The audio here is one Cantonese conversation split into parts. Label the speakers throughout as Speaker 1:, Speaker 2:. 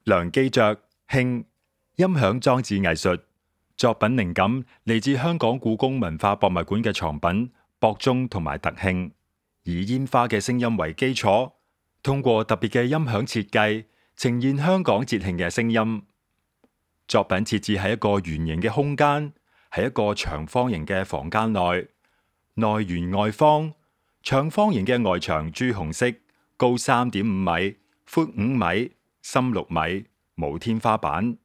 Speaker 1: 梁基爵，興，音響裝置藝術。作品靈感嚟自香港故宮文化博物館嘅藏品博中同埋特興，以煙花嘅聲音為基礎，通過特別嘅音響設計，呈現香港節慶嘅聲音。作品設置喺一個圓形嘅空間，喺一個長方形嘅房間內，內圓外方。長方形嘅外牆朱紅色，高3.5米，闊5米，深6米，無天花板。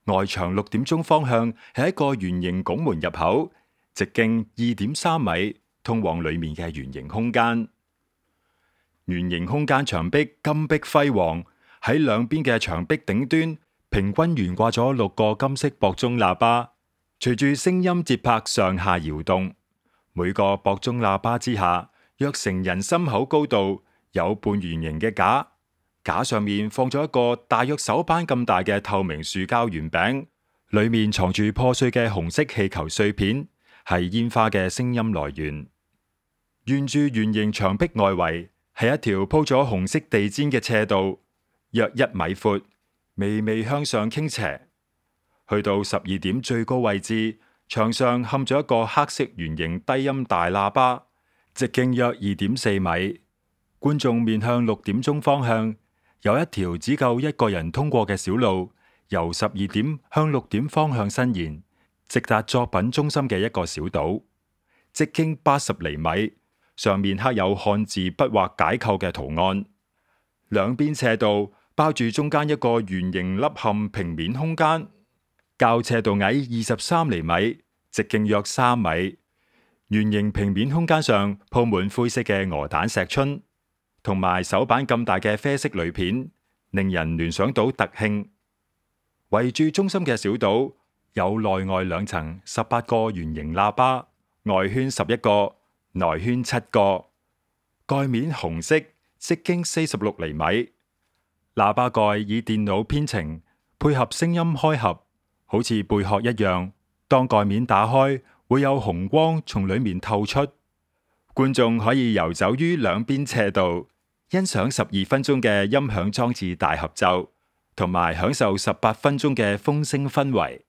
Speaker 1: 外牆6點鐘方向係一個圓形拱門入口，直徑2.3米，通往裏面嘅圓形空間。圓形空間牆壁金碧輝煌，喺兩邊嘅牆壁頂端平均懸掛咗6個金色博中喇叭，隨住聲音節拍上下搖動。每個博中喇叭之下，約成人心口高度，有半圓形嘅架，架上面放咗一個大約手板咁大嘅透明塑膠圓餅，裏面藏住破碎嘅紅色氣球碎片，係煙花嘅聲音來源。沿住圓形牆壁外圍係一條鋪咗紅色地氈嘅斜道，約1米闊，微微向上傾斜。去到12點最高位置，牆上嵌咗一個黑色圓形低音大喇叭，直徑約2.4米。觀眾面向6點鐘方向，有一條只夠1個人通過嘅小路，由12點向6點方向伸延，直達作品中心嘅一個小島，直徑80厘米，上面刻有漢字筆畫解構嘅圖案。兩邊斜道包住中間一個圓形凹陷平面空間，較斜道矮23厘米，直徑約3米。圓形平面空間上鋪滿灰色嘅鵝蛋石春，同埋手板咁大嘅啡色鋁片，令人聯想到特興。圍住中心嘅小島有內外2層18個圓形喇叭，外圈11個，內圈7個。蓋面紅色，直徑46厘米。喇叭蓋以電腦編程，配合聲音開合，好似貝殼一樣。當蓋面打開，會有紅光從裏面透出，觀眾可以遊走於兩邊斜道，欣賞12分鐘嘅音響裝置大合奏，同埋享受18分鐘嘅風聲氛圍。